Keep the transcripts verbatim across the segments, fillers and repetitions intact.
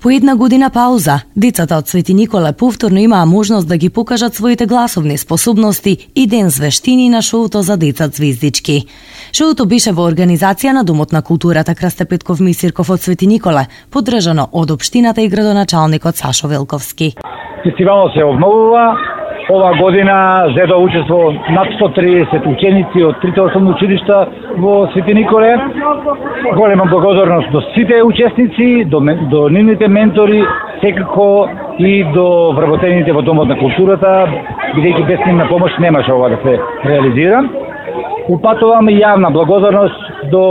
По една година пауза, децата од Свети Николе повторно имаа можност да ги покажат своите гласовни способности и ден звештини на шоуто за деца Звездички. Шоуто беше во организација на Домот на културата Крсте Петков Мисирков од Свети Николе, поддржано од општината и градоначалникот Сашо Велковски. Фестивалот се обновува. Ова година зедо учество над сто триесет ученици од трите основни училишта во Свети Николе. Голема благодарност до сите учесници, до, до нивните ментори, секако и до вработените во Домот на културата, бидејќи без нивна помош немаше ова да се реализира. Упатуваме јавна благодарност до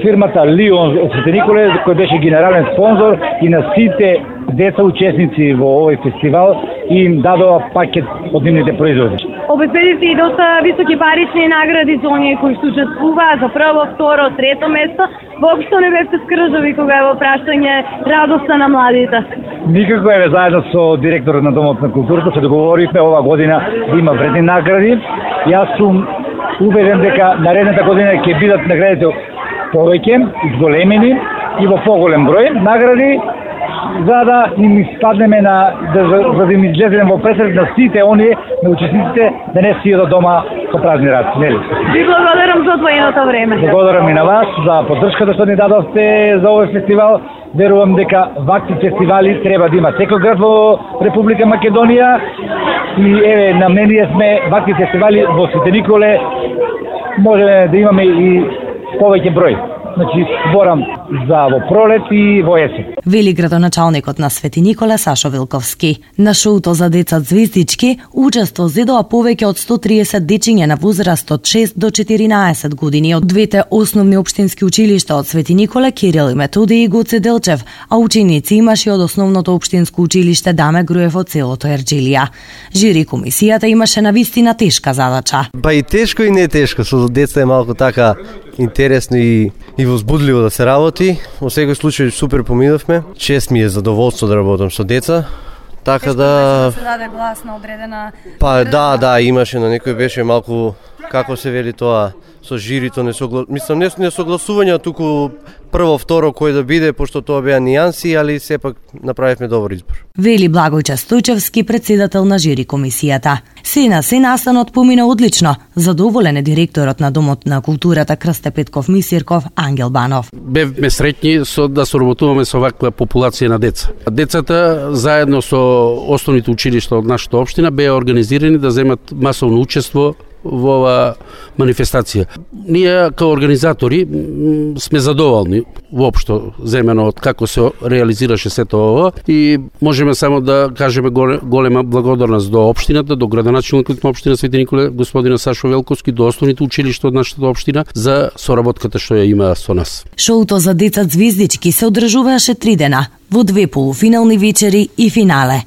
фирмата Лион од Свети Николе, кој беше генерален спонзор, и на сите деца учесници во овој фестивал и им дадова пакет од нивните производи. Обезбедивте и доста високи парични награди за оние кои што учествуваа за прво, второ, трето место. Воопшто не бевте скржави кога е во прашање радоста на младите. Никако е, заедно со директорот на Домот на културата се договоривме ова година да има вредни награди. Јас сум убеден дека наредната година ќе бидат наградите повеќе, зголемени и во поголем број награди, за да им испаднеме на да, за да им излеземе во пресред на сите оние на учесниците да не си од дома со празни раце, нели? Ви благодарам за одвоеното време. Благодарам и на вас за поддршката што ни дадовте за овој фестивал. Верувам дека вакви фестивали треба да има секој град во Република Македонија и еве на мене сме вакви фестивали во Свети Николе можеме да имаме и повеќе број. Значи, зборам за во пролет и во есен. Вели градоначалникот на Свети Николе Сашо Велковски. На шоуто за деца Звездички учество зедоа повеќе од сто триесет дечиња на возраст од шест до четиринаесет години од двете основни општински училишта од Свети Николе, Кирил и Методиј и Гоце Делчев, а ученици имаше од основното општинско училиште Даме Груев од селото Ерджилија. Жири комисијата имаше навистина тешка задача. Па и тешко и не тешко, со деца е малку така интересно и, и возбудливо да се работи. Во секој случај супер поминавме. Чест ми е задоволство да работам со деца. Така да да се даде глас на одредена. Па да, да, имаше на некој беше малку како се вели тоа со жирито не согла... мислам не не согласување, туку прво, второ кој да биде, пошто тоа беа нијанси, али сепак направивме добар избор. Вели Благојче Стојчевски, председател на жири комисијата. Се на се настанот помина одлично. Задоволен е директорот на Домот на културата Крсте Петков Мисирков Ангел Банов. Бевме среќни со да соработуваме со ваква популација на деца. Децата заедно со основните училишта од нашата општина беа организирани да земат масовно учество во ова манифестација. Ние као организатори сме задоволни воопшто земено од како се реализираше сето ова и можеме само да кажеме голема благодарност до општината, до градоначалникот на општина Свети Николе, господина Сашо Велковски, до основните училишта од нашата општина за соработката што ја има со нас. Шоуто за деца Звездички се одржуваше три дена, во две полуфинални вечери и финале.